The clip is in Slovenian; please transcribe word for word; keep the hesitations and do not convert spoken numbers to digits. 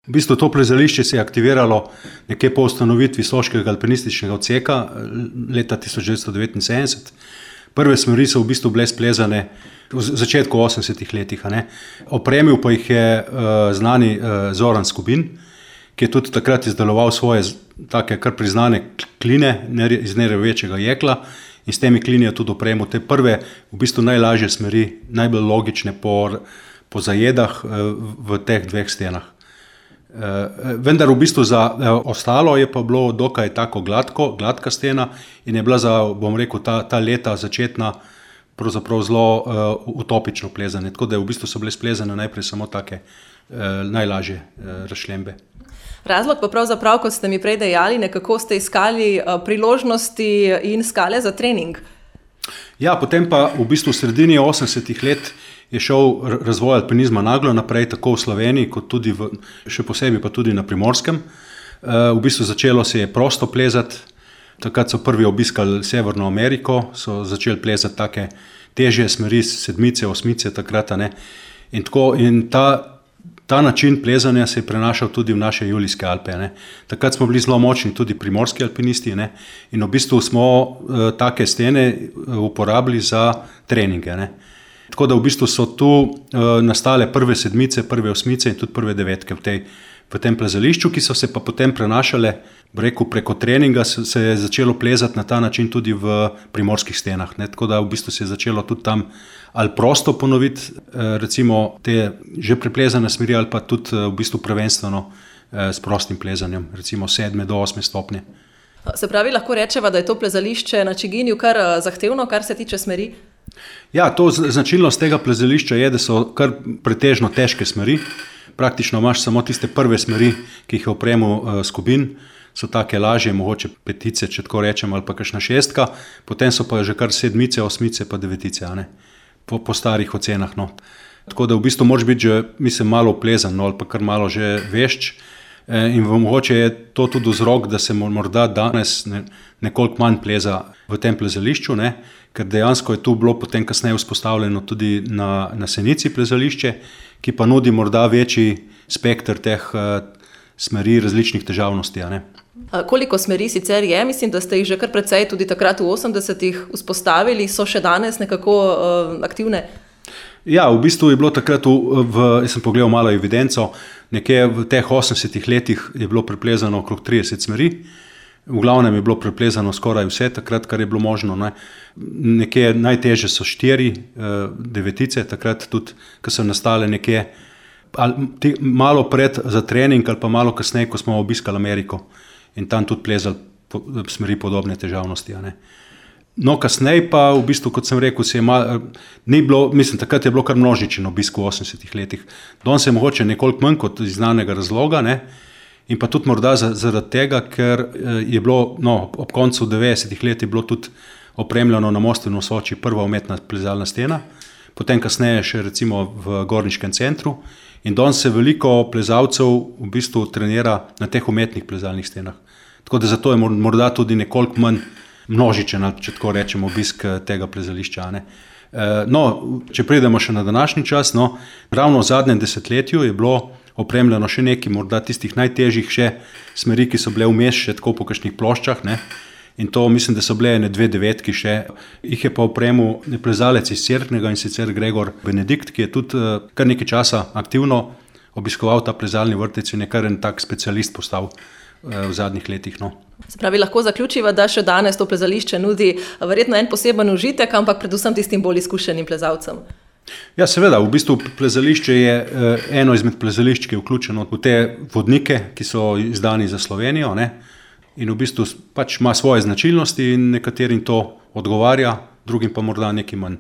V bistvu to plezališče se je aktiviralo nekje po ustanovitvi Soškega alpinističnega odseka leta tisoč devetsto devetinsedemdeset. Prve smeri so v bistvu bile splezane v začetku osemdesetih letih. A ne. Opremil pa jih je uh, znani uh, Zoran Skubin, ki je tudi takrat izdeloval svoje take kar priznane kline iz nerjavečega jekla in s temi klini je tudi opremil te prve, v bistvu najlažje smeri, najbolj logične po, po zajedah uh, v teh dveh stenah. Uh, vendar v bistvu za uh, ostalo je pa bilo dokaj tako gladko, gladka stena in je bila za, bom rekel, ta, ta leta začetna pravzaprav zelo uh, utopično plezanje. Tako da v bistvu so bile splezane najprej samo take uh, najlažje uh, razšlembe. Razlog pa pravzaprav, kot ste mi prej dejali, nekako ste iskali uh, priložnosti in skale za trening. Ja, potem pa v bistvu v sredini osemdesetih let je šel razvoj alpinizma naglo naprej, tako v Sloveniji, kot tudi v, še posebej pa tudi na Primorskem. V bistvu začelo se je prosto plezati, takrat so prvi obiskali Severno Ameriko, so začeli plezati take težje smeri, sedmice, osmice takrat. Ne. In, tako, in ta, ta način plezanja se je prenašal tudi v naše Julijske Alpe. Ne. Takrat smo bili zelo močni tudi primorski alpinisti, ne. In v bistvu smo uh, take stene uporabili za treninge. Ne. Tako da v bistvu so tu uh, nastale prve sedmice, prve osmice in tudi prve devetke v, tej, v tem plezališču, ki so se pa potem prenašale, rekel, preko treninga se, se je začelo plezati na ta način tudi v primorskih stenah. Ne? Tako da v bistvu se je začelo tudi tam ali prosto ponoviti, uh, recimo te že preplezane smeri ali pa tudi uh, v bistvu prvenstveno uh, s prostim plezanjem, recimo sedme do osme stopnje. Se pravi, lahko rečeva, da je to plezališče na Čiginju kar uh, zahtevno, kar se tiče smeri? Ja, to značilnost tega plezališča je, da so kar pretežno težke smeri. Praktično imaš samo tiste prve smeri, ki jih je opremil uh, Skubin, so take lažje, mogoče petice, če tako rečem, ali pa kakšna šestka, potem so pa že kar sedmice, osmice pa devetice, a ne? Po, po starih ocenah. No. Tako da v bistvu moraš biti že, mislim, malo plezan, no, ali pa kar malo že vešč. In mogoče je to tudi vzrok, da se morda danes ne, nekoliko manj pleza v tem plezališču, ne? Ker dejansko je tu bilo potem kasneje vzpostavljeno tudi na, na Senici plezališče, ki pa nudi morda večji spekter teh uh, smeri različnih težavnosti. A ne? A koliko smeri sicer je? Mislim, da ste jih že kar precej tudi takrat v osemdesetih vzpostavili, so še danes nekako uh, aktivne? Ja, v bistvu je bilo takrat, v, v, jaz sem pogledal malo evidenco, nekje v teh osemdesetih letih je bilo preplezano okrog trideset smeri, v glavnem je bilo preplezano skoraj vse takrat, kar je bilo možno. Ne. Nekje najtežje so štiri, devetice, takrat tudi, ko so nastale nekje ali, ti, malo pred za trening ali pa malo kasneje, ko smo obiskali Ameriko in tam tudi plezali po, smeri podobne težavnosti. A ne. No, kasneje pa, v bistvu, kot sem rekel, se je mal, ni bilo, mislim, takrat je bilo kar množičen obisk v osemdesetih letih. Danes je mogoče nekoliko manj kot iz znanega razloga, ne? In pa tudi morda zaradi tega, ker je bilo, no, ob koncu devetdesetih let je bilo tudi opremljeno na Mostu v Soči prva umetna plezalna stena, potem kasneje še recimo v Gorniškem centru in danes se veliko plezalcev v bistvu trenira na teh umetnih plezalnih stenah. Tako da zato je morda tudi nekoliko manj množičen, če tako rečem, obisk tega plezališča. Ne. No, če pridemo še na današnji čas, no, ravno v zadnjem desetletju je bilo opremljeno še nekaj, morda tistih najtežjih še smeri, ki so bile vmes še tako po kakšnih ploščah, ne. In to mislim, da so bile ene dve devetki še. Jih je pa opremil plezalec iz Cerknega in sicer Gregor Benedikt, ki je tudi kar nekaj časa aktivno obiskoval ta plezalni vrtec in je kar en tak specialist postal v zadnjih letih. No. Se pravi, lahko zaključiva, da še danes to plezališče nudi verjetno en poseben užitek, ampak predvsem tistim bolj izkušenim plezalcem. Ja, seveda, v bistvu plezališče je eno izmed plezališč, ki je vključeno v te vodnike, ki so izdani za Slovenijo, ne? In v bistvu pač ima svoje značilnosti in nekaterim to odgovarja, drugim pa morda nekaj manj.